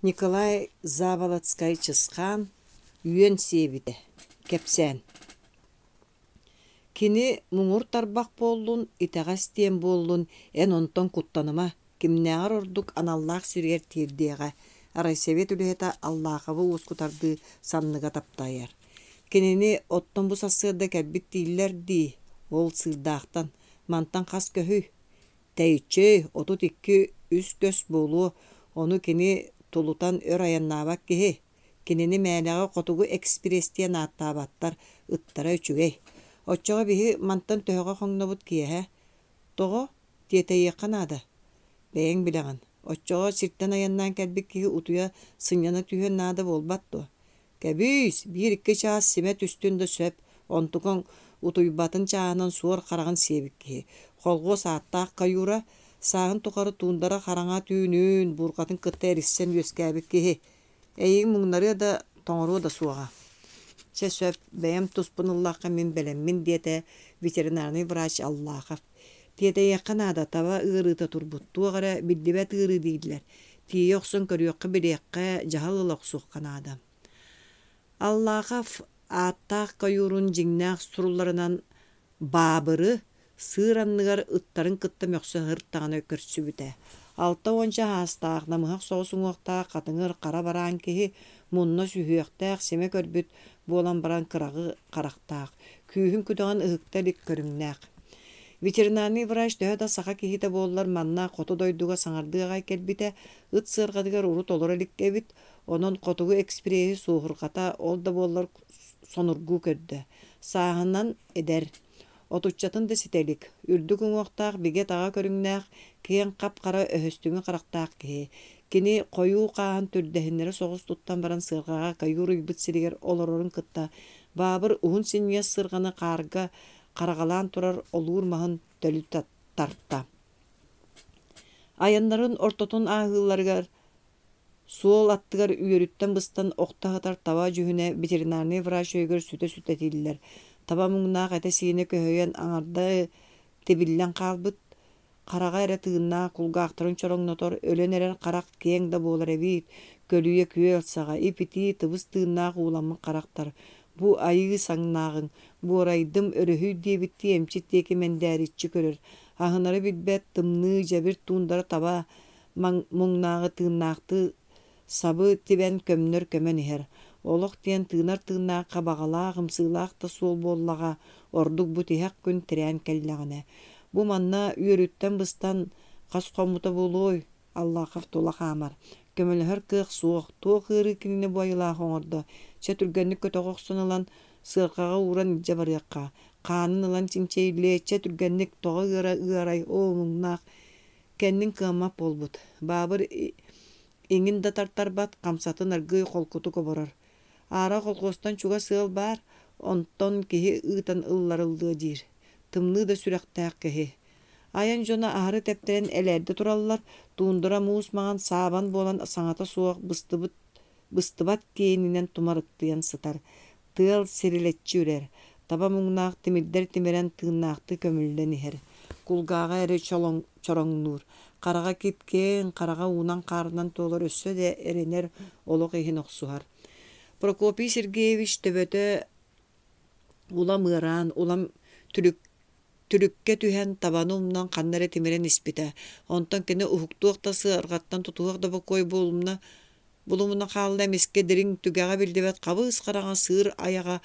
Николай Заболоцкай-Чысхаан үөн сиэбитэ кэпсээн Кини муҥур тарбах буоллун, итэҕэс диэн буоллун, эн онтон куттаныма, кимнээҕэр ордук аналлаах сиригэр тиэрдиэҕэ, райсовет үлэһитэ Аллаховы уоскутардыы санныга таптайар. Кинини оттон бу сарсыарда кэлбит дииллэр дии, ол Сыырдаахтан, мантан хас көһүй? Тэйиччи, 32 үс көс буолуо, ону кини тулутан өр айаннаабат киһи. Кинини мээнэҕэ Хотугу экспресс диэн ааттаабаттар, ыттара үчүгэй. Оччоҕо биһи мантан төһөҕө хоҥнобут киэһэ? Тоҕо? Тиэтэйиэххэ наада. Бэйэҥ билэҕин. Оччоҕо сиртэн айаннаан кэлбит киһи утуйа, сынньана түһүөн наада буолбат дуо? Кэбиис, биир-икки чаас симэ түстүн да сөп, онтукаҥ утуйбатын чааһынан суор хараҕын сиэбит киһи. Холхуос ааттаах каюра, сааһын тухары туундара хараҥа түүнүн, буурҕатын кытта эриссэн үөскээбит киһи. Эйигин муҥнарыа да, тоҥоруо да суоҕа. Чэ сөп, бэйэм туспун ыллахха мин бэлэммин, диэтэ ветеринарнай врач Аллахов. Тиэтэйиэххэ наада, таба ыарыыта турбут, туох эрэ биллибэт ыарыы дииллэр. Тиийэ охсон көрүөххэ-билиэххэ, дьаһал ыла охсуохха наада. Аллахов ааттаах каюрун дьиҥнээх сурулларынан Баабыры сыыр анныгар ыттарын кытта мөхсө сырыттаҕына көрсүбүтэ. Алта уонча аастаах, намыһах соҕус уҥуохтаах хатыҥыр хара бараан киһи мунна сүһүөхтээх, симэ көрбүт буолан баран кыраҕы харахтаах, күүһүн күдэҕин ыһыкта илик көрүҥнээх. Ветеринарный врач төһө да саха киһитэ буоллар, манна хоту дойдуга саҥардыы аҕай кэлбитэ, ыт сыарҕатыгар урут олоро илик эбит, онон хотугу экспреһи суоһурҕата, ол да буоллар сонургуу көрдө. Сааһынан эдэр, отуччатын да ситэ илик, үрдүк уҥуохтаах бигэ-таҕа көрүҥнээх, киэҥ хап-хара өһөстүҥү харахтаах киһи. Кини хойуу хааһын түрдэһиннэрэ соҕус туттан баран сыарҕаҕа каюр ыйбыт сиригэр олорорун кытта Баабыр уһун синньигэс сырҕаны хаарга хараҕалаан турар олуур маһын төлү тарта. Айаннарын ортотун ааһыыларыгар суол аттыгар үөрүттэн быстан охто сытар таба дьүһүнэ ветеринарнай врач өйүгэр сүтэ-сүтэ этиллэр. Таба муҥнаах этэ-сиинэ көһүйэн аҥарда тибиллэн хаалбыт, Хараҕа эрэ тыыннаах, кулгаахтарын чороҥнотор, өлөн эрэр харах киэҥ да буолар эбит, көлүйэ күөл саҕа, ип-итии, тыбыс тыыннаах ууламмыт харахтар. Бу айыы саҥнааҕыҥ, буорайдым, өрөһүй диэбиттии эмчит диэки мэндээриччи көрөр, аһынары билбэт, тымныы, дьэбир туундара таба муҥнааҕы тыыннаахтыы Сабы тибэн көмнөр көмөн иһэр. Олох диэн тыынар тыыннаахха баҕалаах, ымсыылаах да суол буоллаҕа, ордук бу тиһэх күн тирээн кэллэҕинэ. Бу манна үөрүүттэн быстан хас хоммута буолуой? Аллахов тула хаамар. Көмөлөһөр кыах суох, туох ыарыы кинини бу айылаах оҥордо? Чэ түргэнник көтөҕө охсон ылан, сыарҕаҕа ууран илдьэ барыахха. Хаанын ылан чинчийиллиэ, чэ түргэнник тоҕо ыара ыарай, оо муҥнаах Кэннин кыаммат буолбут. Баабыр иҥин да тартарбат, хамсатын аргыый холкутук оборор. Аара колхуостан чугас ыал баар, онтон киһи ыытан ылларыллыа диир. Тымныы да сүрэхтээх киһи. Айан дьоно аһары тэптэрэн элээрдэ тураллар, туундара муус маҥан саабан буолан саҥата суох быстыбыт быстыбат киэнинэн тумарыктыйан сытар. Тыал сирилэччи үрэр, таба муҥнаах тимирдэр тимирэн тыыннаахтыы көмүллэн иһэр. Кулгааҕа эрэ чороҥнуур, хараҕа кип-киэҥ, хараҕа уунан-хаарынан туолар өссө да эрэнэр олох иһин охсуһар. Прокопий Сергеевич төбөтө улам ыараан, улам түлүк Түлүккэ түһэн, табаны умнан ханна эрэ тимирэн испитэ. Онтон кини уһуктуох да сыарҕаттан тутуһуох да бокуой буолумна булумуна хаалла эмискэ дириҥ түгэҕэ биллибэт хабыс хараҥа сыыр айаҕа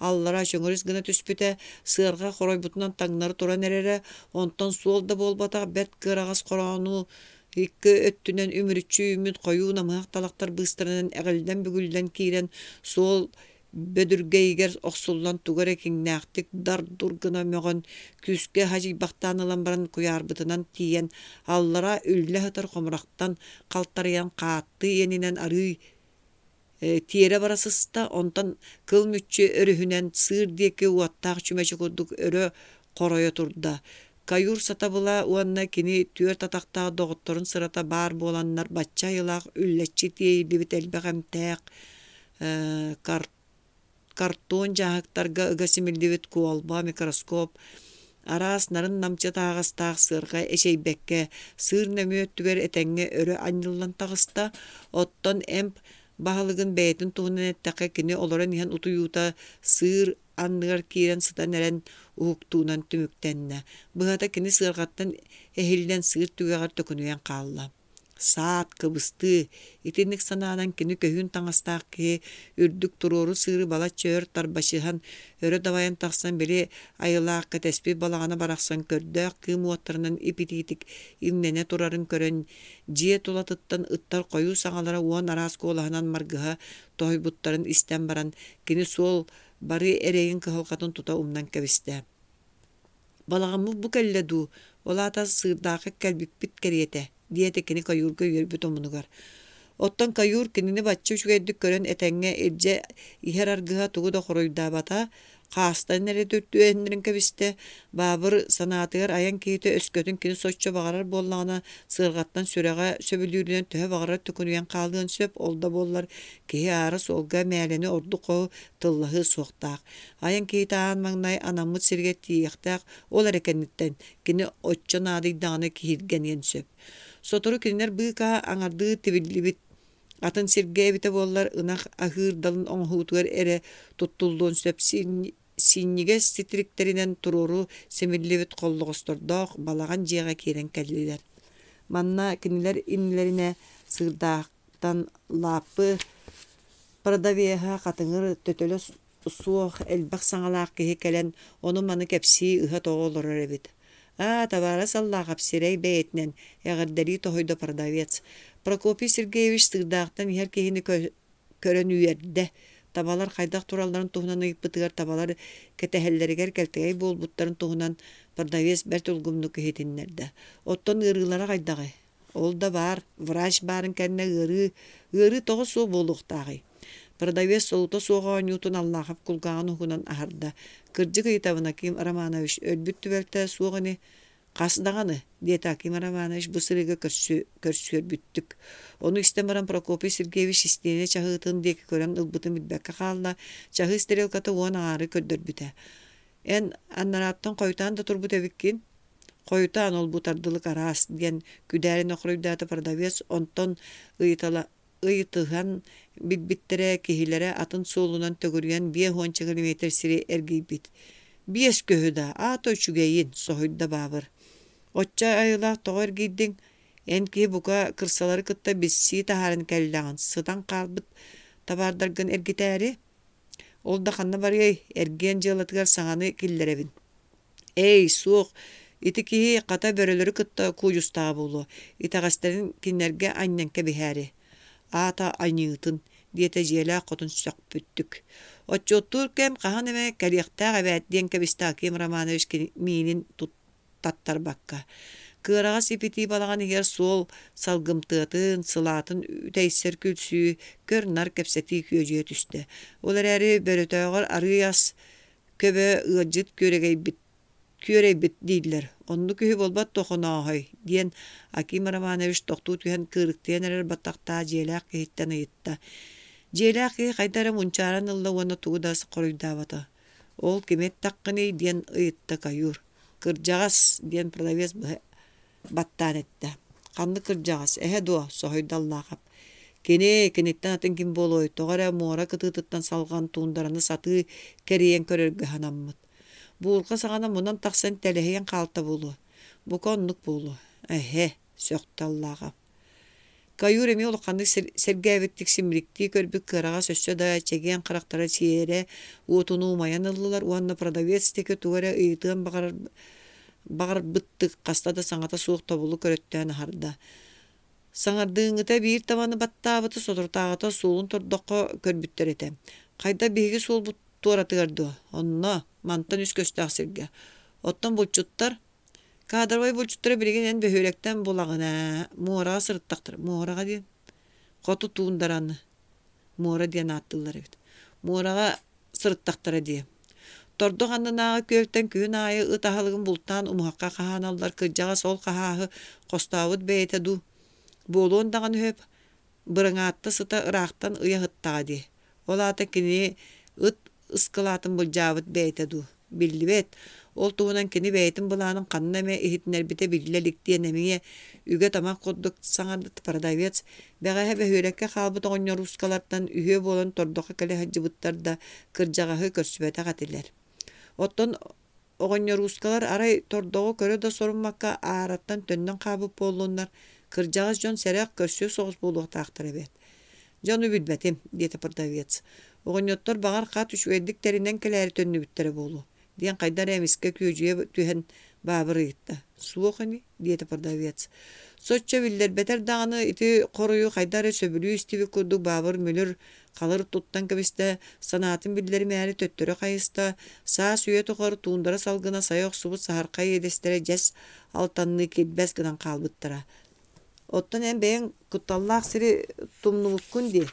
аллара чөҥөрүс гына түспүтэ, сыарҕа хоройбутунан таҥнары туран эрэрэ, онтон суол да буолбатах бэрт кыараҕас хороону икки өттүнэн үмүрүччү үүммүт хойуу намыһах талахтар быыстарынан эҕиллэн-бүгүллэн киирэн суол бөдүргэйигэр охсуллан тугу эрэ киҥнээхтик дар-дур гына мөҕөн, күүскэ хадьыйбахтаан ылан баран куйаарбытынан тиийэн, аллара үллэ сытар хомурахтан халтарыйан хааттыы иэнинэн арыый тиэрэ бара сыста, онтон кыл мүччү өрүһүнэн сыыр диэки уоттаах чүмэчи курдук өрө хоройо турда. Каюр сатабыла уонна кини түөрт атахтаах доҕотторун сырата баар буоланнар бачча айылаах үллэччи тиэйиллибит элбэх эмтээх картон дьааһыктарга ыга симиллибит куолба, микроскоп, Араас нарын-намчы таһаҕастаах сыарҕа эчэйбэккэ, сыыр нөҥүө өттүгэр этэҥҥэ өрө анньыллан таҕыста. Оттон эмп баһылыгын бэйэтин туһунан эттэххэ, кини олорон иһэн утуйуута сыыр анныгар киирэн сытан эрэн уһуктуунан түмүктэннэ. Быһата, кини сыарҕаттан эһиллэн сыыр түгэҕэр төкүнүйэн хаалла. Саат, кыбыстыы, итинник санаанан кини көһүүн таҥастаах киһи үрдүк туруору сыыры балачча өр тарбачыһан, өрө дабайан тахсан били айылаах кэтэспит балаҕана барахсан көрдөөх кыым уоттарынан ип-итиитик имнэнэ турарын көрөн, дьиэ тулатыттан ыттар хойуу саҥалара уон араас куолаһынан маргыһа тоһуйбуттарын истэн баран, кини суол бары эрэйин кыһалҕатын тута умнан кэбистэ. Балаҕаммыт бу кэллэ дуу, ол аата Сыырдаахха кэлбиппит кэриэтэ, диэтэ кини каюрга үөрбүт омунугар. Оттон каюр кинини бачча үчүгэйдик көрөн этэҥҥэ илдьэ иһэр аргыһа тугу да хоруйдаабата, хаастан эрэ түһэннэрин кэбистэ. Баабыр санаатыгар айан киһитэ өскөтүн кини соччо баҕарар буоллаҕына, сыарҕаттан сүрэҕэ сөбүлүүрүнэн төһө баҕарар төкүнүйэн хаалыан сөп, ол да буоллар киһи аара суолга мээлэни ордук хоһу тыллаһыа суохтаах. Айан киһитэ аан маҥнай анаммыт сиригэр тиийиэхтээх, ол эрэ кэнниттэн кини оччо наадыйдаҕына киһиргэниэн сөп. Сотору кинилэр быыкаа аҥардыы тибиллибит атын сиргэ эбитэ буоллар ынах аһыыр далын оҥоһуутугар эрэ туттуллуон сөп синньигэс титириктэринэн туруору симиллибит холлоҕостордоох балаҕан дьиэҕэ киирэн кэллилэр. Манна кинилэр иннилэринэ сыырдаахтан лааппы продавеһа хатыҥыр төтөлө суох элбэх саҥалаах киһи кэлэн ону-маны кэпсии ыһа-тоҕо олорор эбит. «Аа, табаарыс Аллаахап сирэй бэйэтинэн эҕэрдэлии тоһуйда продавец. Прокопий Сергеевич Сыырдаахтан иһэр киһини көрөн үөрдэ. Табалар хайдах туралларын туһунан ыйыппытыгар табалар кэтэһэллэригэр кэлтэгэй буолбуттарын туһунан продавец бэрт улгумнук иһитиннэрдэ. Оттон ыарыылара хайдаҕый? Ол да баар, врач баарын кэннэ ыарыы, ыарыы тоҕо суох буолуохтааҕый? Продавец солута суох оонньуутун Аллахов кулгааҕын уһугунан аһарда. Кырдьык ыйытабын, Аким Романович, өлбүт түбэлтэ суох ини. Хас даҕаны, диэтэ Аким Романович бу сырыыга көрсүөрбүттүк. Ону истэн баран Прокопий Сергеевич истиэнэ чаһыытын диэки көрөн ылбытын билбэккэ хаалла, чаһыы стрелката уон аҥаары көрдөрбүтэ. Эн аннарааттан хойутаан да турбут эбиккин. Хойутаан ол-бу тардылык араас, диэн күдээринэ хоруйдаата продавец, онтон ыйытала ыйытыһан билбиттэрэ, киһилэрэ атын суолунан төгүрүйэн биэс уонча километр сири эргийбит. Биэс көһү да, аата үчүгэйин, соһуйда Баабыр. Оччо айылаах тоҕо эргийдиҥ? Эн киһи бука кырсалары кытта билсии таһааран кэллэҕин, сытан хаалбыт табаардаргын эргитээри? Ол да ханна барыай, эргиэн дьыалатыгар саҥаны киллэрэбин. Эй, суох, ити киһи хата бөрөлөрү кытта куудьустаҕа буолуо, итэҕэстэрин кинилэргэ анньан кэбиһээри. Аата аньыытын, диэтэ дьиэлээх хотун сөхпүттүк. Отчуоттуур кэм хаһан эмэ кэлиэхтээх эбээт диэн кэбистэ Аким Романович миинин таттарбакка. Кыараҕас ипитии балаҕан иһигэр суол салгымтыатын, сылаатын үтэйсэр күлсүү, көр-нар кэпсэтии күөдьүйэ түстэ. Ол эрээри бөрөтөөҕөр арыый ас көбө ыалдьыт күөрэгэйбит күөрэйбит дииллэр, оннук үһү буолбат дуо Хонооһой диэн Аким Романович тохтуу түһэн кыырыктыйан эрэр баттахтаах дьиэлээх киһиттэн ыйытта. Дьиэлээх киһи хайда эрэ мунчааран ылла уонна тугу да хоруйдаабата. Ол кими эттэххиний диэн ыйытта каюр. Кырдьаҕас диэн продавец быһа баттаан эттэ. Ханнык кырдьаҕас, эһэ дуо? соһуйда Аллаахап. Кини, киниттэн атын ким буолуой, тоҕо эрэ муора кытыытыттан салҕан туундараны сатыы кэрийэн көрөргө санаммыт. Буурҕа саҕана мунан тахсан тэлэһийэн хаалта буолуо. Бука оннук буолуо. Эһэ, сөхтө Аллаахап. Каюр эмиэ улаханнык сэргээбиттик симириктии көрбүт кыараҕас өссө да чэгиэн харахтара сиэрэ уотунуу умайан ыллылар уонна продавец диэки тугу эрэ ыйытыан баҕарар баҕарбыттык хаста да саҥата суох тобулу көрөттөөн аһарда. Саҥардыыҥҥыта биир табаны баттаабыты соторутааҕыта суолун тордоххо көрбүттэр этэ. Хайда биһиги суолбут туоратыгар дуо? Онно, мантан үс көстөөх сиргэ. Оттон булчуттар Кадровай булчуттары билигин эн бөһүөлэктэн булаҕын ээ, муораҕа сырыттахтара. Муораҕа диэн хоту туундараны муора диэн ааттыыллар эбит. Муораҕа сырыттахтара дии. Тордох аннынааҕы күөлтэн күһүн аайы ыт аһылыгын бултаан умуһахха хаһааналлар кырдьаҕас ол хаһааһы хостообут бэйэтэ дуу. Буолуон даҕаны сөп, быраҥаатта сыта ыраахтан ыйа сыттаҕа дии. Ол аата кини ыт ыскылаатын былдьаабыт бэйэтэ дуу. Биллибэт. Ол туһунан кини бэйэтин былаанын ханна эмэ иһитиннэрбитэ биллэ илик диэн эмиэ үгэ-тамах курдук саҥарбыт продавец бэҕэһээ бөһүөлэккэ хаалбыт оҕонньоруускалартан үһүө буолан тордоххо кэлэ сылдьыбыттар да кырдьаҕаһы көрсүбэтэх этилэр. Оттон оҕонньоруускалар арай тордоҕу көрө да соруммакка аараттан төннөн хаалбыт буоллуннар, кырдьаҕас дьон сэрэх көрсүө соҕус буолуохтаахтар эбээт. Дьэ ону билбэтим, диэтэ продавец. Оҕонньоттор баҕар хат үчүгэйдик тэринэн кэлээри төннүбүттэрэ буолуо, диэн хайда эрэ эмискэ күөдьүйэ түһэн Баабыр ыйытта. Суох ини, диэтэ продавец. Соччо биллэрбэтэр даҕаны ити хоруйу хайда эрэ сөбүлүү истибит курдук Баабыр мүлүр халыр туттан кэбистэ, санаатын биллэримээри төттөрү хайыста, саас үйэ тухары туундара салгына сайа охсубут саһархай иэдэстэрэ дьэс алтанныы килбэс гынан хаалбыттара. Оттон эн бэйэҥ кутталлаах сири тумнубуккун дии.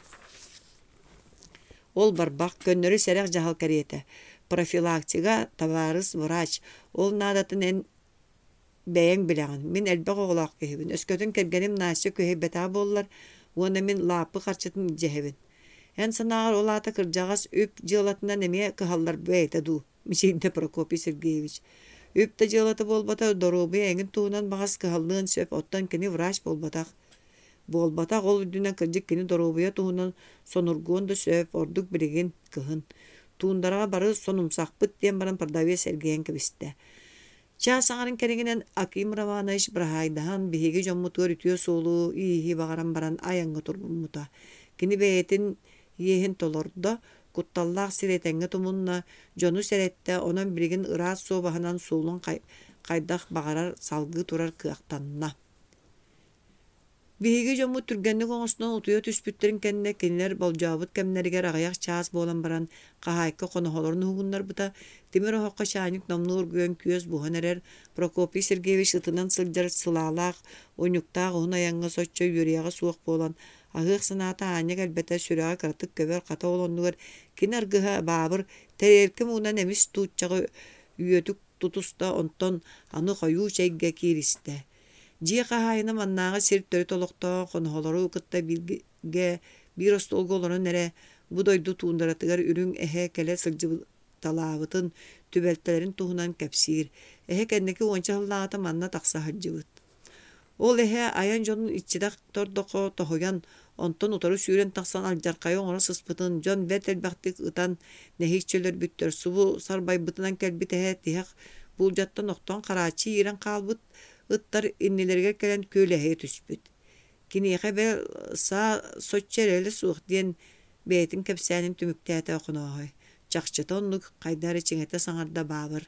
Ол барбах, көннөрү сэрэх дьаһал кэриэтэ. Профилактика, табаарыс врач, ол наадатын эн бэйэҥ билэҕин. Мин элбэх оҕолоох киһибин. Өскөтүн кэргэним Настя күһэйбэтэҕэ буоллар, уонна мин лааппы харчытын илдьэһэбин. Эн санааҕар ол аата кырдьаҕас үп дьыалатынан эмиэ кыһаллар бэйэтэ дуу? мичийдэ Прокопий Сергеевич. Үп да дьыалата буолбата, доруобуйа эҥин туһунан баҕас кыһаллыан сөп, оттон кини врач буолбатах. Буолбатах, ол үрдүнэн кырдьык кини доруобуйа туһунан сонургуон да сөп, ордук билигин, кыһын. Туундараҕа бары сонумсахпыт диэн баран продавец эргийэн кэбистэ. Чаас аҥарын кэриҥинэн Аким Романович быраһаайдаһан биһиги дьоммутугар үтүө суолу-ииһи баҕаран баран айаҥҥа туруммута. Кини бэйэтин иэһин толордо, кутталлаах сири этэҥҥэ тумунна, дьону сэрэттэ, онон билигин ыраас суобаһынан суолун хайдах баҕарар салгыы турар кыахтанна. Биһиги дьоммут түргэнник оҥостон утуйа түспүттэрин кэннэ кинилэр болдьообут кэмнэригэр аҕыйах чаас буолан баран хаһаайка хоноһолорун уһугуннарбыта, тимир оһоххо чаанньык номнуо оргуйан күөс буһан эрэр Прокопий Сергеевич ытынан сылдьар сылаалаах, унньуктаах уһун айаҥҥа соччо үөрүйэҕэ суох буолан, аһыах санаата аанньа кэлбэтэ, сүрэҕэ кыратык көбөр, хата ол оннугар кини аргыһа Баабыр тэриэлкэ муҥунан эмис тууччаҕы үөтүк тутуста, онтон аны хойуу чэйгэ кииристэ. Дьиэ хаһаайына маннааҕы сир төрүт олохтоох хоноһолору кытта бииргэ биир остуолга олорон эрэ бу дойду туундаратыгар үрүҥ эһэ кэлэ сылдьыбыталаабытын, түбэлтэлэрин туһунан кэпсиир. Эһэ кэнники уонча сыллааҕыта манна тахса сылдьыбыт. Ол эһэ айан дьонун иччитэх тордоххо тоһуйан, онтон утары сүүрэн тахсан алдьархайы оҥоро сыспытын дьон бэрт элбэхтик ытан нэһииччэ өлөрбүттэр. Субу сарбайбытынан кэлбит эһэ тиһэх буулдьаттан охтон харааччы иирэн хаалбыт ыттар иннилэригэр кэлэн күөлэһийэ түспүт. Киниэхэ бэл саа соччо эрэлэ суох диэн бэйэтин кэпсээнин түмүктээтэ Охонооһой. Чахчыта оннук, хайда эрэ чиҥэтэ саҥарда Баабыр.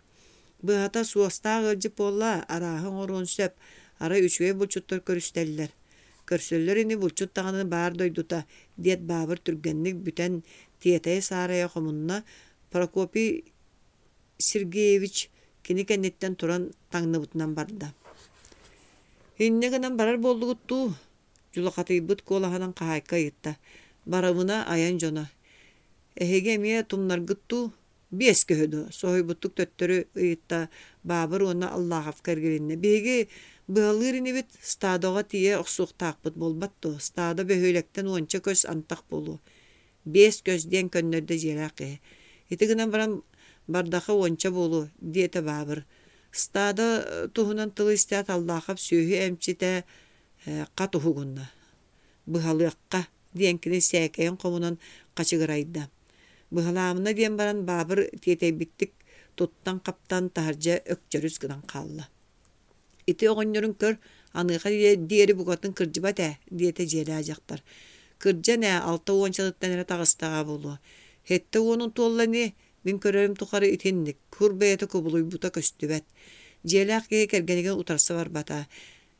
Быһата, суостаах ыалдьыт буолла, арааһы оҥоруон сөп, арай үчүгэй булчуттар көрүстэллэр. Көрсөллөр ини булчут даҕаны баар дойдута, диэт Баабыр түргэнник бүтэн тиэтэйэ-саарайа хомунна, Прокопий Сергеевич кини кэнниттэн туран таҥныбытынан барда. Инньэ гынан барар буоллугут дуу? дьулахатыйбыт куолаһынан хаһаайка ыйытта. Барабына айан дьоно. Эһиги эмиэ тумнаргыт дуу? Биэс көһө дуо? соһуйбуттук төттөрү ыйытта Баабыр уонна Аллаховка эргилиннэ. Биһиги быһалыыр инибит, стадоҕа тиийэ охсуохтаахпыт буолбат дуо? Стадо бөһүөлэктэн уонча көс антах буолуо. Биэс көс диэн көннөрдө дьиэлээх киһи. Ити гынан баран бардаха уонча буолуо, диэтэ Баабыр. Стадо туһунан тылы истээт Аллаахап сүөһү эмчитэ хат уһугунна. Быһалыахха, диэн кини сээкэйин хомунан хачыгырайда. Быһалаамына диэн баран Баабыр тиэтэйбиттик туттан-хаптан таһырдьа өкчөрүс гынан хаалла. Ити оҕонньорун көр, аныаха диэри букатын кырдьыбат ээ, диэтэ дьиэлээх дьахтар. Кырдьан ээ, алта уончатыттан эрэ таҕыстаҕа буолуо. Сэттэ уонун туолла ини, мин көрөрүм тухары итинник, кур бэйэтэ кубулуйбута көстүбэт. Дьиэлээх киһи кэргэнигэр утарса барбата.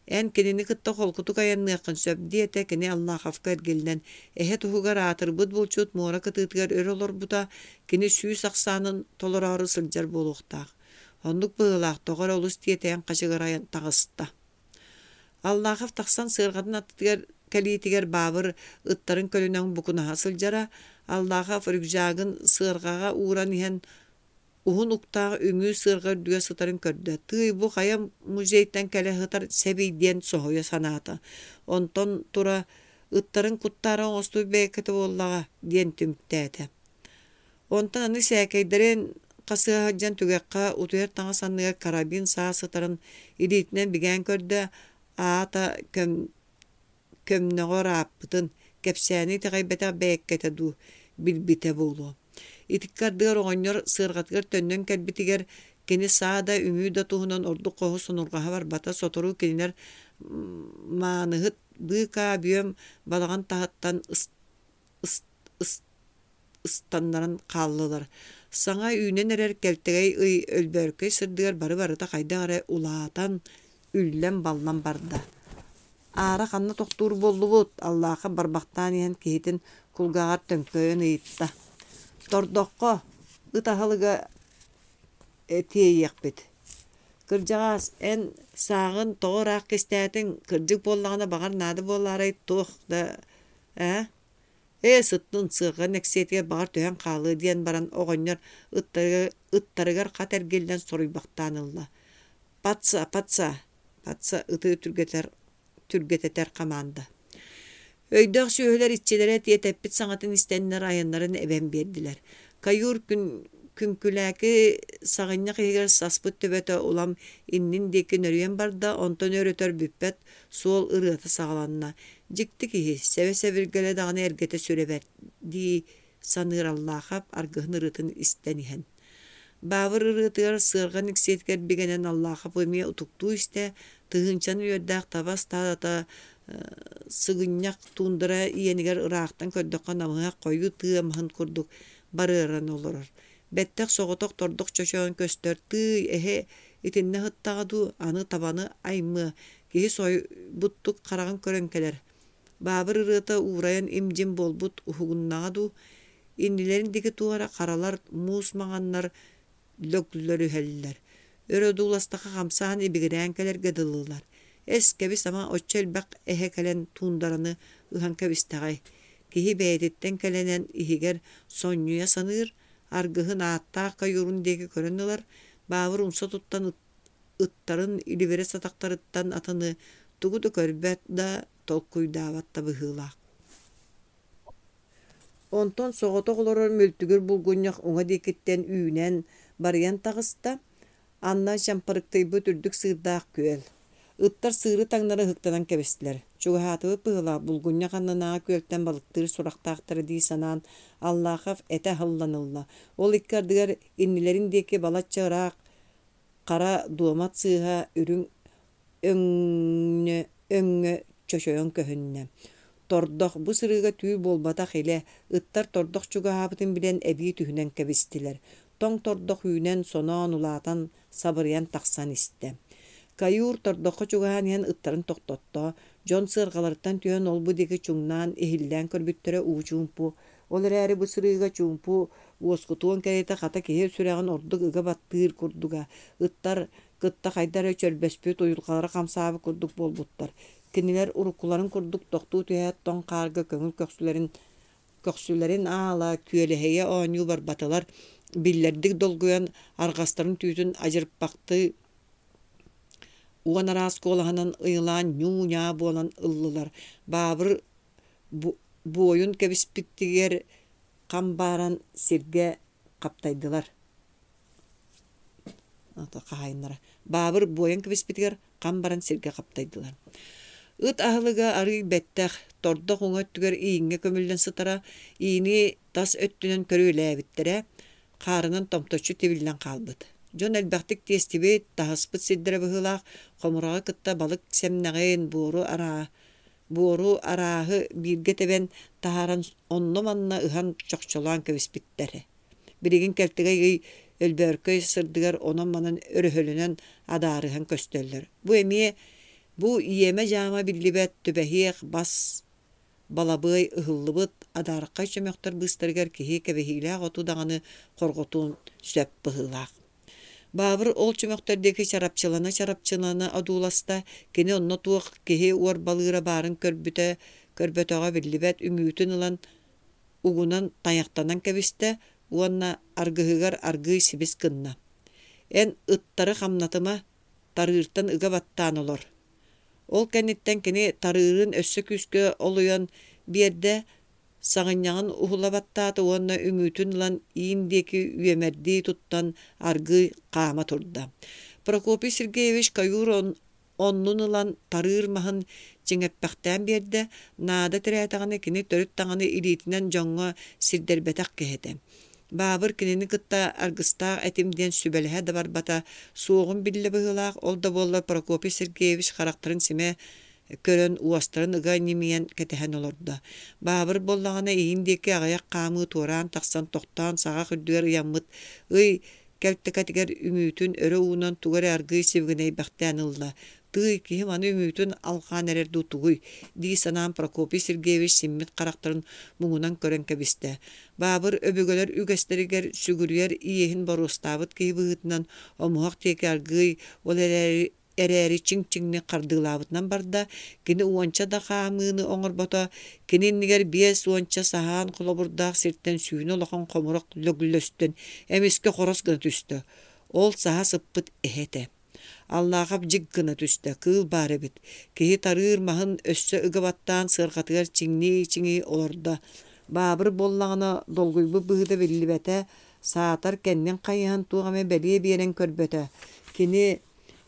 Эн кинини кытта холкутук айанныаххын сөп, диэтэ кини Аллаховка эргиллэн. Эһэ туһугар аатырбыт булчут муора кытыытыгар өр олорбута, кини сүүс ахсаанын толороору сылдьар буолуохтаах. Оннук быһыылаах тоҕо эрэ олус тиэтэйэн хачыгырайан таҕыста. Аллахов тахсан сыарҕатын аттытыгар кэлиитигэр Баабыр ыттарын көлүнэн букунаһа сылдьара. Аллахов рюкзагын сыарҕаҕа ууран иһэн уһун уктаах үҥүү сыарҕа үрдүгэр сытарын көрдө. Тыый, бу хайа музейтан кэлэ сытар сэбий диэн соһуйа санаата. Онтон тура ыттарын куттаара оҥостубут бэйэккэтэ буоллаҕа диэн түмүктээтэ. Онтон аны сээкэйдэрин хасыһа сылдьан түгэххэ утуйар таҥас анныгар карабин саа сытарын илиитинэн бигээн көрдө, аата көм көмнөҕө ырааппытын, кэпсээни итэҕэйбэтэх бэйэккэтэ дуу, билбитэ буолуо. Итикки ардыгар оҕонньор сыарҕатыгар төннөн кэлбитигэр кини саа да, үҥүү да туһунан ордук хоһу сонурҕаһа барбата. Сотору кинилэр мааныһыт быыкаа бүөм балаҕан таһыттан ыстаннаран хааллылар. Саҥа үүнэн эрэр кэлтэгэй ый өлбөөркөй сырдыгар бары-барыта хайдах эрэ улаатан, үллэн-баллан барда. Аара ханна тохтуур буоллубут? Аллаахап барбахтаан иһэн киһитин кулгааҕар төҥкөйөн ыйытта. Тордоххо ыт аһылыга тиэйиэхпит. Кырдьаҕаас, эн сааҕын тоҕо ыраах кистээтиҥ? Кырдьык буоллаҕына, баҕар наада буолаарай туох да ээ? Ээ, сыттын, сыарҕа нэксиэтигэр баҕар түһэн хаалыа диэн баран оҕонньор ыттарыгар хат эргиллэн соруйбахтаан ылла. Паца, паца, паца ыты түргэтэр, түргэтэтэр хамаанда. Өйдөөх сүөһүлэр иччилэрэ тиэтэппит саҥатын истэннэр айаннарын эбэн биэрдилэр. Каюр күн күҥкүлээки саҕынньах иһигэр саспыт төбөтө улам иннин диэки нөрүйэн барда, онтон өр-өтөр бүппэт суол ырыата саҕаланна. Дьикти киһи, сэбэ-сэбиргэлэ даҕаны эргэтэ сүрэ бэрт дии саныыр Аллаахап аргыһын ырыатын истэн иһэн. Баабыр ырыатыгар сыарҕа никсиэтигэр бигэнэн Аллаахап эмиэ утуктуу истэ, тыһыынчаны үөрдээх таба ыстаадата сыгынньах туундара иэнигэр ыраахтан көрдөххө намыһах хойуу тыа маһын курдук барыаран олорор. Бэттэх соҕотох тордох чочоон көстөр тыый эһэ итиннэ сыттаҕа дуу, аны табаны аймыа, киһи сойбуттук хараҕын көрөн кэлэр. Баабыр ырыата уурайан им-дьим буолбут уһугуннаҕа дуу, иннилэрин диэки туох эрэ харалар, муус маҥаннар лөглөрүһэллэр. Өр одууластахха хамсаан ибигирээн кэлэргэ дылылар. Эс, кэбис ама оччо элбэх эһэ кэлэн туундараны ыһан кэбистэҕэй. Киһи бэйэтиттэн кэлэнэн иһигэр сонньуйа саныыр, аргыһын ааттаах каюрун диэки көрөн ылар, Баабыр умса туттан ыттарын илибирэс атахтарыттан атыны тугу да көрбөт да, толкуйдаабат да быһыылаах. Онтон соҕотох олорор мүлтүгүр булгунньах уҥа диэкиттэн үүнэн, барыйан таҕыста. Анна чампарыктыйбыт үрдүк сыырдаах күөл. Ыттар сыыры таҥнары ыһыктанан кэбистилэр. Чугаһаатыбыт быһыылаах булгунньах аннынааҕы күөлтэн балыктыыр сурахтаахтара дии санаан, Аллахов этэ аһыллан ылла. Ол икки ардыгар иннилэрин диэки балачча ыраах хара дуомат сыыһа үрүҥ өҥнө өҥҥө чочойон көһүннэ. Тордох бу сырыыга түүл буолбатах илэ, ыттар тордох чугаһаабытын билэн эбии түһүнэн кэбистилэр. Тоҥ тордох үүнэн, соноон, улаатан, сабырыйан тахсан истэ. Каюр тордоххо чугаһаан иһэн ыттарын тохтотто, дьон сыарҕаларыттан түһэн ол-бу диэки чуҥнаан, иһиллээн көрбүттэрэ уу чуумпу. Ол эрээри бу сырыыга чуумпу уоскутуон кэриэтэ хата киһи сүрэҕин ордук ыга баттыыр курдуга. Ыттар кытта хайда эрэ чөрбөспүт, уйулҕалара хамсаабыт курдук буолбуттар. Кинилэр уруккуларын курдук тохтуу түһээт тоҥ хаарга көҥүл көхсүлэрин көхсүлэрин аала күөлэһийэ оонньуу барбатылар, биллэрдик долгуйан арҕастарын түүтүн адьырпахтыы уон араас куолаһынан ыйылаан ньуу-ньаа буолан ыллылар. Баабыр буойун кэбиспитигэр хам бааран сиргэ хаптайдылар хаһаайыннара Баабыр буойан кэбиспитигэр хам баран сиргэ хаптайдылар. Ыт аһылыга арыый бэттэх, тордох уҥа өттүгэр ииҥҥэ көмүллэн сытара, иини тас өттүнэн көрүөлээбиттэрэ, хаарынан томточчу тибиллэн хаалбыт. Дьон элбэхтик тиэстибит, таһыспыт сирдэрэ быһыылаах, хомураҕы кытта балык сэмнэҕин, буору араа, буору арааһы бииргэ тэбэн таһааран онно-манна ыһан чохчолоон кэбиспиттэр. Билигин кэлтэгэй ый өлбөөркөй сырдыгар онон-манан өрөһөлөнөн адаарыһан көстөллөр. Бу эмиэ бу иэмэ-дьаама биллибэт түбэһиэх бас балабыай ыһыллыбыт адаархай чөмөхтөр быыстарыгар киһи кэбиһиилээх оту даҕаны хорҕотуон сөп быһыылаах. Баабыр ол чөмөхтөр диэки чарапчылана-чарапчылана одууласта, кини онно туох киһи уорбалыыра баарын көрбүтэ, көрбөтөҕө биллибэт үҥүүтүн ылан угунан тайахтанан кэбистэ уонна аргыһыгар аргыый сибис гынна: «Эн ыттары хамнатыма, тарыыртан ыга баттаан олор». Ол кэнниттэн кини тарыырын өссө күүскэ олуйан биэрдэ, Саҕынньаҕын уһула баттаата уонна үҥүүтүн ылан иин диэки үөмэрдии туттан аргыый хаама турда. Прокопий Сергеевич каюр оннун ылан тарыыр маһын чиҥэппэхтээн биэрдэ, наада тирээтэҕинэ кини төрүт даҕаны илиитинэн дьоҥҥо сирдэрбэтэх киһи этэ. Баабыр кинини кытта аргыстаах этим диэн сүбэлэһэ да барбата, суоҕун биллэ быһыылаах, ол да буоллар Прокопий Сергеевич харахтарын симэ көрөн, уостарын ыга ньимийэн кэтэһэн олордо. Баабыр буоллаҕына иин диэки аҕыйах хаамыы туораан тахсан тохтоон саҕах үрдүгэр ыйаммыт ый кэлтэкэтигэр үҥүүтүн өрө уунан тугу эрэ аргыый сибигинэйбэхтээн ылла. Тыый, киһим аны үҥүүтүн алҕаан эрэр дуу тугуй? дии санаан Прокопий Сергеевич симмит харахтарын муҥунан көрөн кэбистэ. Баабыр өбүгэлэр үгэстэригэр сүгүрүйэр иэһин боруостаабыт киһи быһыытынан омуһах диэки аргыый, ол эрээри эрээри чиҥ-чиҥник хардыылаабытынан барда, кини уонча да хаамыыны оҥорбото, кини иннигэр 50 саһаан холобурдаах сиртэн сүүнэ улахан хомурах лөглөстөн эмискэ хорос гына түстэ. Ол саһа сыппыт эһэ этэ. Аллаахап дьик гына түстэ, кыыл баар эбит. Киһи тарыыр маһын өссө ыга баттаан сыарҕатыгар чиҥнии-чиҥии олордо. Баабыр буоллаҕына долгуйбут быһыыта биллибэтэ, саатар кэннин хайыһан туох эмэ бэлиэ биэрэн көрбөтө. Кини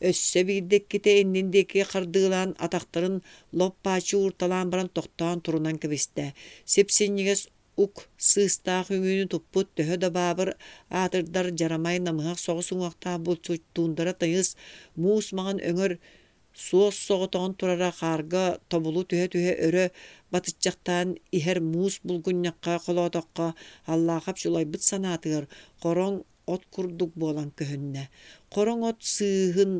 Өссө биирдэ иккитэ иннин диэки хардыылаан, атахтарын лоп-бааччы уурталаан баран тохтоон турунан кэбистэ. Сип-синньигэс ук сыыстаах үҥүүнү туппут төһө да баабыр аатырдар дьарамай намыһах соҕус уҥуохтаах булчут туундара тыйыс муус маҥан өҥөр суос соҕотоҕун турара хаарга тобулу түһэ-түһэ өрө батыччахтаан иһэр муус булгунньахха холоотоххо Аллаахап чулайбыт санаатыгар хороҥ от курдук буолан көһүннэ. Хороҥ от сыыһын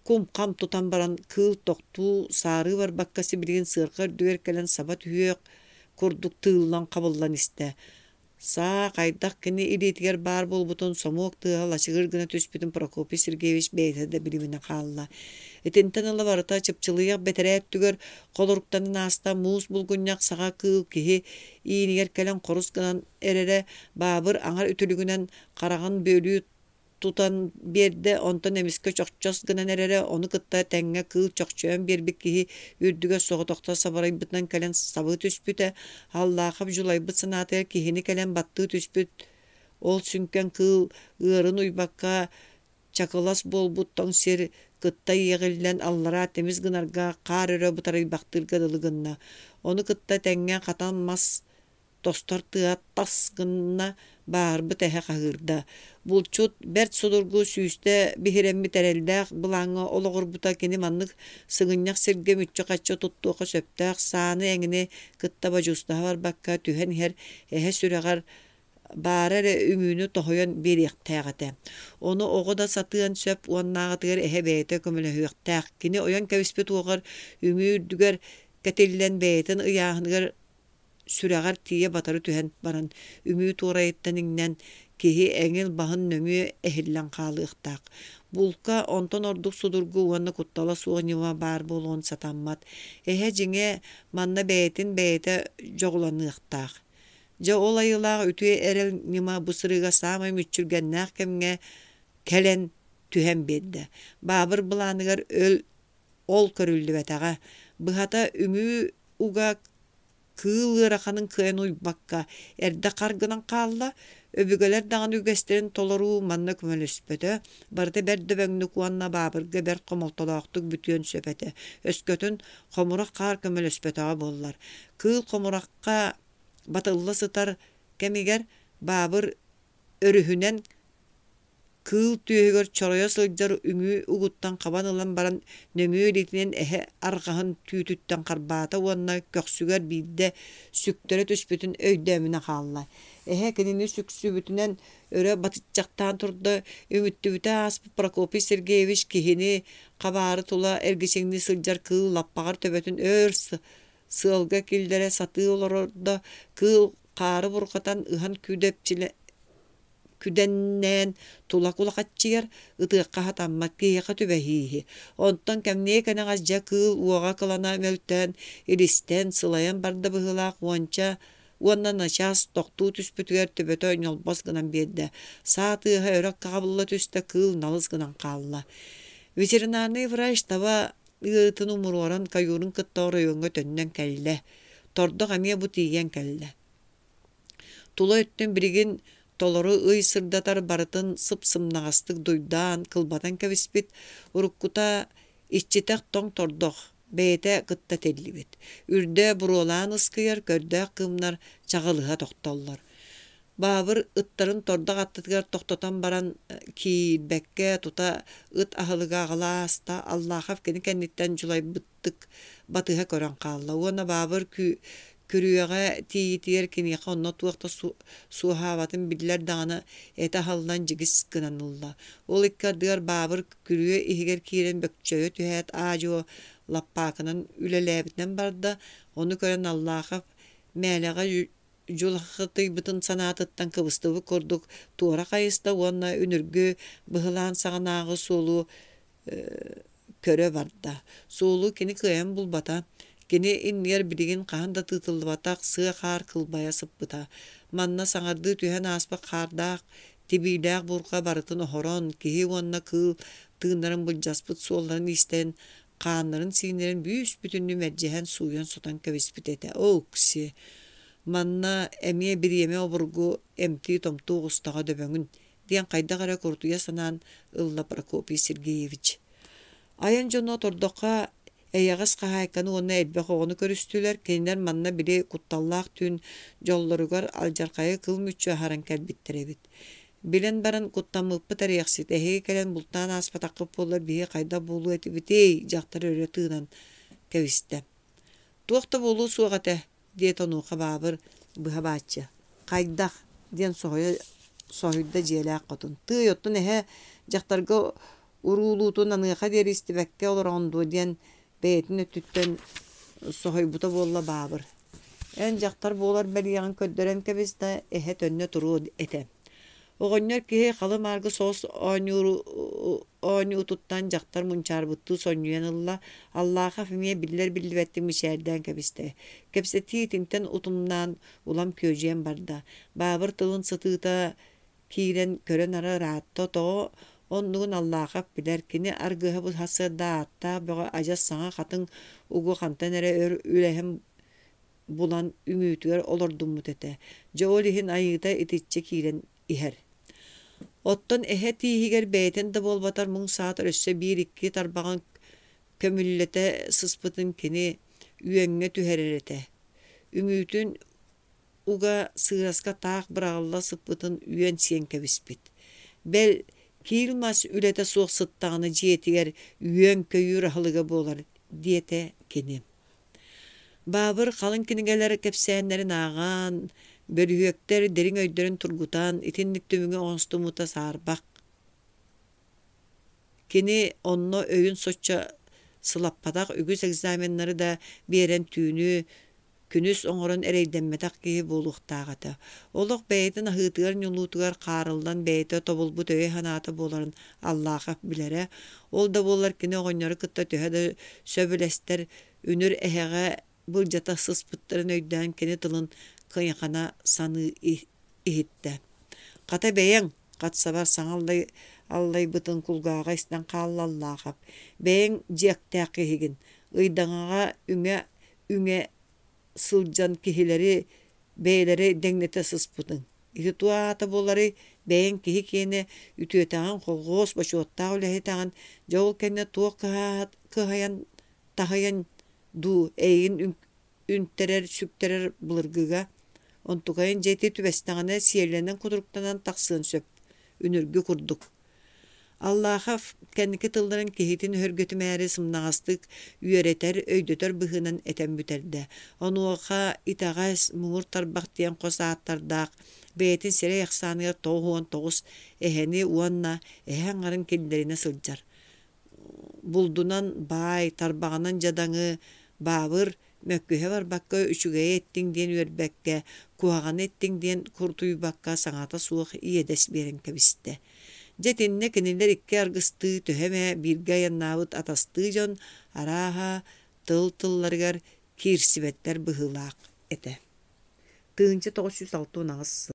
кум-хам тутан баран кыыл тохтуу, саарыы барбакка сибилигин сыарҕа үрдүгэр кэлэн саба түһүөх курдук тыыллан хабыллан истэ. Саа хайдах кини илиитигэр баар буолбутун сомуок тыаһа лачыгыр гына түспүтүн Прокопий Сергеевич бэйэтэ да билиминэ хаалла. Итинтэн ыла барыта чыпчылыйах бэтэрээ өттүгэр холоруктанан ааста муус булгунньах саҕа кыыл киһи иинигэр кэлэн хорус гынан эрэрэ Баабыр аҥар үтүлүгүнэн хараҕын бүөлүү тутан биэрдэ, онтон эмискэ чохчос гынан эрэрэ, ону кытта тэҥҥэ кыыл чохчойон биэрбит киһи үрдүгэр соҕотохто сабарайбытынан кэлэн сабыы түспүтэ, Аллаахап дьулайбыт санаатыгар киһини кэлэн баттыы түспүт ол сүҥкэн кыыл ыарын уйбакка чакылас буолбут тоҥ сир кытта иэҕиллэн аллараа тимис гынарга хаар өрө бытарыйбахтыырга дылы гынна. Ону кытта тэҥҥэ хатан мас тостор тыа тас гынна, бааһырбыт эһэ хаһыырда. Булчут бэрт судургу сүүстэ биһирэммит эрэллээх былааҥҥа олоҕурбута кини маннык сыгынньах сиргэ мүччү-хаччы туттуохха сөптөөх сааны эҥини кытта бодьуустаһа барбакка түһэн иһэр эһэ сүрэҕэр баара эрэ үҥүүнү тоһуйан биэриэхтээх этэ. Ону оҕо да сатыан сөп уоннааҕытыгар эһэ бэйэтэ көмөлөһүөхтээх. Кини ойон кэбиспит уоҕар үҥүү үрдүгэр кэтиллэн бэйэтин ыйааһыныгар сүрэҕэр тиийэ батары түһэн баран, үҥүү туорайыттан иҥнэн, киһи эҥил баһын нөҥүө эһиллэн хаалыахтаах. Булка онтон ордук судургу уонна куттала суох ньыма баар буолуон сатаммат. Эһэ дьиҥэ манна бэйэтин бэйэтэ дьоҕуланыахтаах. Дьэ ол айылаах үтүө эрэл ньыма бу сырыыга саамай мүччүргэннээх кэмҥэ кэлэн түһэн биэрдэ. Баабыр былааныгар өл ол көрүллүбэтэҕэ. Быһата, үҥүү уга кыыл ыараханын кыайан уйбакка, эрдэ хар гынан хаалла. Өбүгэлэр даҕаны үгэстэрин толоруу манна көмөлөспөтө, барыта бэрт дөбөҥнүк уонна баабырга бэрт хомолтолоохтук бүтүөн сөп этэ. Өскөтүн хомурах хаар көмөлөспөтөҕө буоллар. Кыыл хомурахха батылла сытар кэмигэр баабыр өрүһүнэн Кыыл түөһүгэр чоройо сылдьар үҥүү угуттан хабан ылан баран нөҥүө илиитинэн эһэ арҕаһын түүтүттэн харбаата уонна көхсүгэр биирдэ сүктэрэ түспүтүн өйдөөмүнэ хаалла. Эһэ кинини сүксүбүтүнэн өрө батыччахтаан турда, үҥүттүбүтэ ааспыт Прокопий Сергеевич киһини хабаары тула эргичиҥнии сылдьар кыыл лаппаҕар төбөтүн өр сыалга киллэрэ сатыы олорордо, кыыл хаары бурҕатан ыһан күүдэпчилэ күдэннээн тула кулахаччыйар, ытыахха сатаммат киһиэхэ түбэһииһи. Онтон кэмниэ кэнэҕэс дьэ кыыл уоҕа кылана мөлтөөн, илистэн, сылайан барда быһыылаах уонча уонна начаас тохтуу түспүтүгэр төбөтө ньолбос гынан биэрдэ. Саа тыаһа өрө хаҕабылла түстэ, кыыл налыс гынан хаалла. Ветеринарный врач таба ыарыытын умуруоран каюрун кытта оройуоҥҥа төннөн кэллэ. Тордох эмиэ бу тиийэн кэллэ. Тула өттүн билигин толору ый сырдатар барытын сып-сымнаҕастык дуйдаан, кылбатан кэбиспит, уруккута иччитэх тоҥ тордох, бэйэтэ кытта тиллибит. Үрдэ буруолаан ыскыйар, көрдөөх кыымнар чаҕылыһа тохтоллор. Баабыр ыттарын тордох аттытыгар тохтотон баран киирбэккэ тута ыт аһылыга аҕала ааста. Аллахов кини кэнниттэн дьулайбыттык батыһа көрөн хаалла уонна Баабыр күрүөҕэ тиийиитигэр киниэхэ онно туох да суоһаабатын биллэр даҕаны этэ аһыллан дьигис гынан ылла. Ол икки ардыгар Баабыр күрүө иһигэр киирэн бөкчөйө түһээт аа-дьуо лаппаакынан үлэлээбитинэн барда. Ону көрөн Аллахов мээлэҕэ дьулахытыйбытын санаатыттан кыбыстыбыт курдук туора хайыста уонна үнүргү быһылаан саҕанааҕы суолу көрө барда. Суолу кини кыайан булбата. Кини иннигэр билигин хаһан да тыытыллыбатах сыа хаар кылбайа сыппыта. Манна саҥардыы түһэн ааспыт хаардаах, тибиилээх буурҕа барытын оһорон, киһи уонна кыыл тыыннарын былдьаспыт суолларын иистэн, хааннарын-сииннэрин бүүс-бүтүннүү мэлдьэһэн сууйан-сотон кэбиспит этэ. Оокси, манна эмиэ бириэмэ обургу эмтии-томтуу оҕустаҕа дөбөҥүн диэн хайдах эрэ курутуйа санаан ылла Прокопий Сергеевич. Айан дьоно тордоххо эйэҕэс хаһаайканы уонна элбэх оҕону көрүстүлэр. Кинилэр манна били кутталлаах түүн дьоллоругар алдьархайы кыл мүччү аһаран кэлбиттэр эбит. Билэн баран куттаммыппыт эриэхсит, эһиги кэлэн бултаан ааспатаххыт буоллар биһиги хайдах буолуо этибитий? дьахтар өрө тыынан кэбистэ. Туох да буолуо суох этэ, диэтэ онуоха Баабыр быһа бааччы. Хайдах? диэн соһуйа соһуйда дьиэлээх хотун. Тыый, оттон эһэ дьахтарга уруулуутун аныаха диэри истибэккэ олороҕун дуо диэн бэйэтин өттүттэн соһуйбута буолла Баабыр. Эн дьахтар буолар бэлиэҕин көрдөрөн кэбис да, эһэ төннө туруо этэ. Оҕонньор киһи халы-мааргы соҕус оонньуутуттан дьахтар мунчаарбыттыы сонньуйан ылла, Аллаахов эмиэ биллэр-биллибэттик мичээрдээн кэбистэ. Кэпсэтии итинтэн утумнаан улам күөдьүйэн барда. Баабыр тылын сытыыта киирэн көрөн ара ыраатта, тоҕо оннугун Аллаахов билэр, кини аргыһа бу сарсыарда ааттаах бөҕө адьас саҥа хатыҥ угу хантан эрэ өр үлэһэн булан үҥүүтүгэр олордуммут этэ. Дьэ ол иһин айыыта итиччэ киирэн иһэр. Оттон эһэ тииһигэр бэйэтин да буолбатар муҥ саатар өссө биир-икки тарбаҕын көмүллэтэ сыспытын кини үөҥҥэ түһэрэр этэ. Үҥүүтүн уга сыыраска таах быраҕылла сыппытын үөн сиэн кэбиспит. Бэл, киил мас үлэтэ суох сыттаҕына дьиэтигэр үөн-көйүүр аһылыга буолар, диэтэ кини. Баабыр халыҥ кинигэлэр кэпсээннэрин ааҕан, бөлүһүөктэр дириҥ өйдөрүн тургутан, итинник түмүгү оҥостуммута саарбах. Кини онно өйүн соччо сылаппатах үгүс экзаменнары да биэрэн түүнү күнүс оҥорон эрэйдэммэтэх киһи буолуохтаах этэ. Олох бэйэтин аһыытыгар-ньулуутугар хаарыллан бэйэтэ тобулбут өйө-санаата буоларын Аллаахап билэрэ. Ол да буоллар кини оҕонньору кытта төһө да сөбүлэстэр, үнүр эһэҕэ былдьата сыспыттарын өйдөөн кини тылын кыйахана саныы иһиттэ. Хата бэйэҥ, хат сабар саҥа аллайбытын кулгааҕа истэн хаалла Аллаахап. Бэйэҥ дьиэктээх киһигин, ыйдаҥаҕа үҥэ-үҥэ сылдьан киһилэри бэйэлэрэ дэҥнэтэ сыспытыҥ. Ити туох аата буоларый, бэйэҥ киһи киэнэ үтүөтэҕин, колхуос бочуоттаах үлэһитэҕин, дьэ ол кэннэ туох кыһайан таһыйан дуу эйигин үнтэрэр, сүктэрэр былыргыга, онтукайын дьэ ити түбэстэҕинэ сиэллэнэн-кутуруктанан тахсыан сөп, үнүргү курдук. Аллахов кэнники тылларын киһитин өһүргэтимээри сымнаҕастык үөрэтэр, өйдөтөр быһыынан этэн бүтэрдэ. Онуоха итэҕэс, муҥур тарбах диэн хос ааттардаах, бэйэтин сирэй ахсааныгар 99 эһэни уонна эһэ аҥарын киллэринэ сылдьар. Булдунан баай, тарбаҕынан дьадаҥы, баабыр мөккүһэ барбакка үчүгэйи эттиҥ диэн үөрбэккэ, куһаҕаны эттиҥ диэн курутуйбакка саҥата суох иэдэс биэрэн кэбистэ. Дьэ итиннэ кинилэр икки аргыстыы төһө эмэ бииргэ айаннаабыт атастыы дьон арааһа тыл-тылларыгар киирсибэттэр быһыылаах этэ. 1968 сыл.